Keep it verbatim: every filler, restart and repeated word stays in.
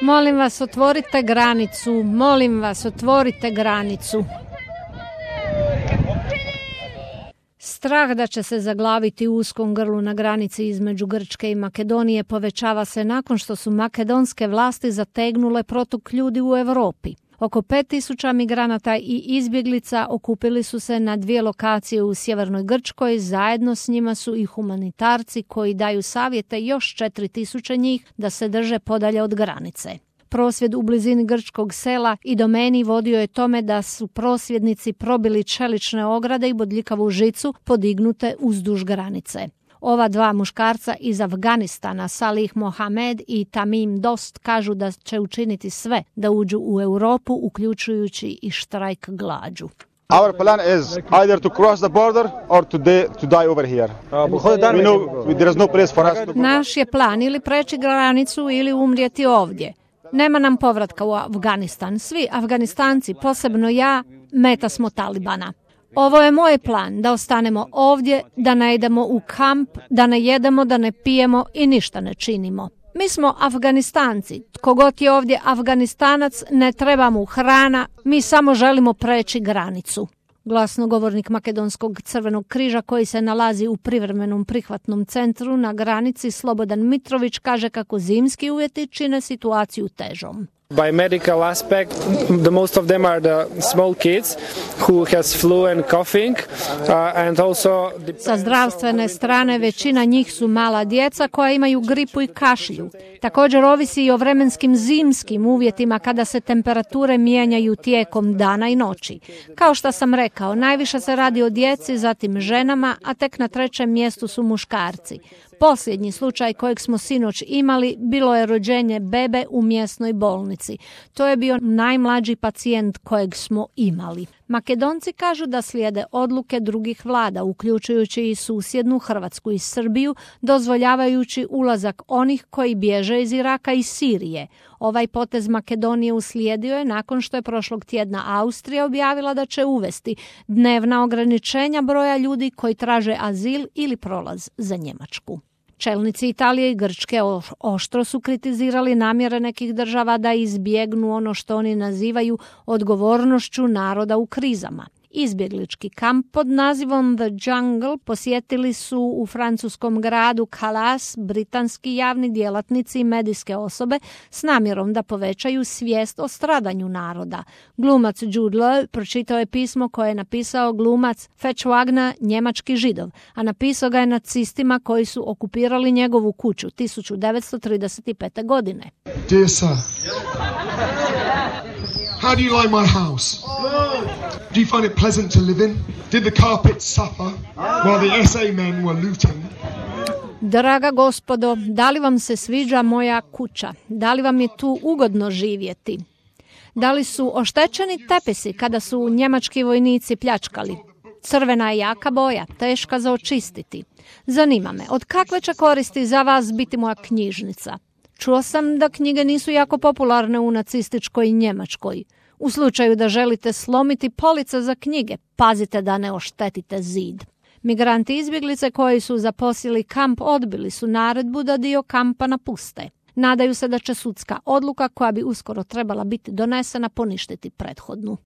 Molim vas, otvorite granicu, molim vas, otvorite granicu. Strah da će se zaglaviti u uskom grlu na granici između Grčke i Makedonije povećava se nakon što su makedonske vlasti zategnule protok ljudi u Europi. Oko pet tisuća migranata i izbjeglica okupili su se na dvije lokacije u sjevernoj Grčkoj, zajedno s njima su i humanitarci koji daju savjete još četiri tisuće njih da se drže podalje od granice. Prosvjed u blizini grčkog sela i domeni vodio je tome da su prosvjednici probili čelične ograde i bodljikavu žicu podignute uzduž granice. Ova dva muškarca iz Afganistana, Salih Mohamed i Tamim Dost, kažu da će učiniti sve da uđu u Europu, uključujući i štrajk glađu. Our plan is either to cross the border or to, de, to die over here. We know there is no place for us to go. Naš je plan ili preći granicu ili umrijeti ovdje. Nema nam povratka u Afganistan. Svi Afganistanci, posebno ja, meta smo Talibana. Ovo je moj plan, da ostanemo ovdje, da ne idemo u kamp, da ne jedemo, da ne pijemo i ništa ne činimo. Mi smo Afganistanci. Tko god je ovdje Afganistanac, ne treba mu hrana, mi samo želimo preći granicu. Glasnogovornik Makedonskog crvenog križa koji se nalazi u privremenom prihvatnom centru na granici, Slobodan Mitrović, kaže kako zimski uvjeti čine situaciju težom. By medical aspect, the most of them are the small kids who has flu and coughing, uh, and also the... Sa zdravstvene strane većina njih su mala djeca koja imaju gripu i kašlju. Također ovisi i o vremenskim zimskim uvjetima kada se temperature mijenjaju tijekom dana i noći. Kao što sam rekao, najviše se radi o djeci, zatim ženama, a tek na trećem mjestu su muškarci. Posljednji slučaj kojeg smo sinoć imali bilo je rođenje bebe u mjesnoj bolnici. To je bio najmlađi pacijent kojeg smo imali. Makedonci kažu da slijede odluke drugih vlada, uključujući i susjednu Hrvatsku i Srbiju, dozvoljavajući ulazak onih koji bježe iz Iraka i Sirije. Ovaj potez Makedonije uslijedio je nakon što je prošlog tjedna Austrija objavila da će uvesti dnevna ograničenja broja ljudi koji traže azil ili prolaz za Njemačku. Čelnici Italije i Grčke oštro su kritizirali namjere nekih država da izbjegnu ono što oni nazivaju odgovornošću naroda u krizama. Izbjeglički kamp pod nazivom The Jungle posjetili su u francuskom gradu Calais britanski javni djelatnici i medijske osobe s namjerom da povećaju svijest o stradanju naroda. Glumac Jude Law pročitao je pismo koje je napisao glumac Fetch Wagner, njemački Židov, a napisao ga je nacistima koji su okupirali njegovu kuću tisuću devetsto trideset pete. godine. Dear sir, how do you like my house? Do you find it pleasant to live in? Did the carpets suffer while the S A men were looting? Draga gospodo, da li vam se sviđa moja kuća? Da li vam je tu ugodno živjeti? Da li su oštećeni tepisi kada su njemački vojnici pljačkali? Crvena je jaka boja, teška za očistiti. Zanima me, od kakve će koristi za vas biti moja knjižnica? Čuo sam da knjige nisu jako popularne u nacističkoj Njemačkoj. U slučaju da želite slomiti police za knjige, pazite da ne oštetite zid. Migranti izbjeglice koji su zaposjeli kamp odbili su naredbu da dio kampa napuste. Nadaju se da će sudska odluka koja bi uskoro trebala biti donesena poništiti prethodnu.